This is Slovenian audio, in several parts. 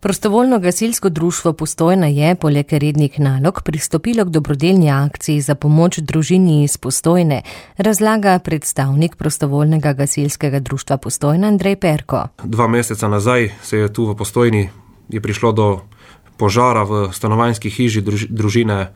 Prostovoljno gasilsko društvo Postojna je, poleg rednih nalog, pristopilo k dobrodelni akciji za pomoč družini iz Postojne, razlaga predstavnik Prostovoljnega gasilskega društva Postojna Andrej Perko. 2 meseca nazaj se je tu v Postojni prišlo do požara v stanovanjski hiži družine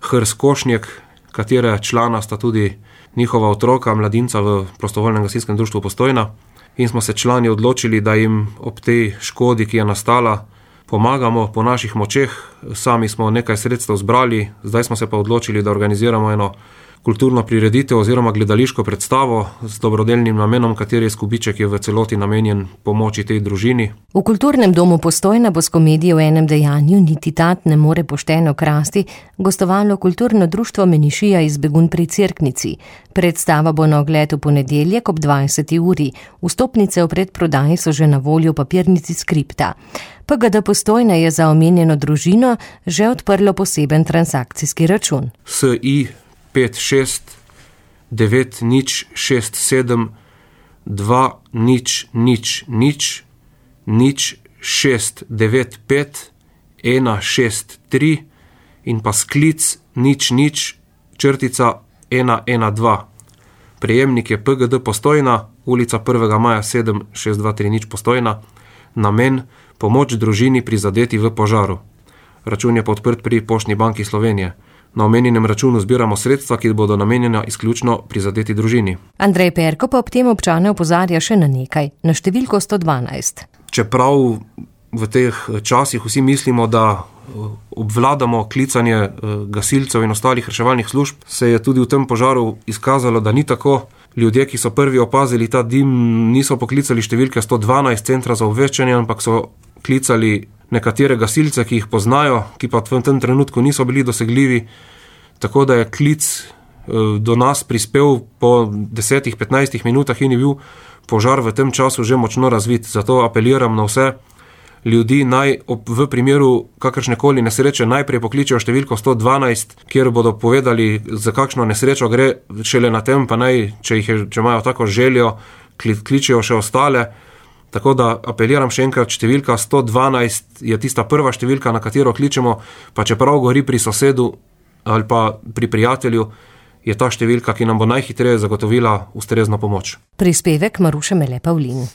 Hrs-Košnjek, katere člana sta tudi njihova otroka, mladinca v Prostovoljnem gasilskem društvu Postojna. In smo se člani odločili, da jim ob tej škodi, ki je nastala, pomagamo po naših močeh. Sami smo nekaj sredstev zbrali, zdaj smo se pa odločili, da organiziramo eno kulturno prireditev oziroma gledališko predstavo z dobrodelnim namenom, kateri izkupiček je v celoti namenjen pomoči tej družini. V Kulturnem domu Postojna bo s komedijo v enem dejanju Niti tat ne more pošteno krasti gostovalo kulturno društvo Menišija iz Begunj pri Cerknici. Predstava bo na ogled v ponedeljek ob 20. uri. Vstopnice v predprodaji so že na voljo v papirnici Skripta. PGD Postojna je za omenjeno družino že odprlo poseben transakcijski račun. SI 56 9067 2000 0695 163 in pa sklic 00 112. Prejemnik je PGD Postojna, ulica 1. maja 76230 Postojna, namen pomoč družini prizadeti v požaru. Račun je podprt pri Poštni banki Slovenije. Na omenjenem računu zbiramo sredstva, ki bodo namenjena izključno prizadeti družini. Andrej Perko pa ob tem občane opozarja še na nekaj, na številko 112. Čeprav v teh časih vsi mislimo, da obvladamo klicanje gasilcev in ostalih reševalnih služb, se je tudi v tem požaru izkazalo, da ni tako. Ljudje, ki so prvi opazili ta dim, niso poklicali številke 112 centra za obveščanje, ampak so klicali nekatere gasilce, ki jih poznajo, ki pa v tem trenutku niso bili dosegljivi, tako da je klic do nas prispel po 10-15 minutah in je bil požar v tem času že močno razvit. Zato apeliram na vse ljudi, naj v primeru kakršnekoli nesreče najprej pokličejo številko 112, kjer bodo povedali, za kakšno nesrečo gre, šele na tem pa naj, če imajo tako željo, kličejo še ostale. Tako da apeliram še enkrat, številka 112 je tista prva številka, na katero kličemo, pa čeprav gori pri sosedu ali pa pri prijatelju, je ta številka, ki nam bo najhitreje zagotovila ustrezno pomoč. Prispevek Maruše Mele Pavlin.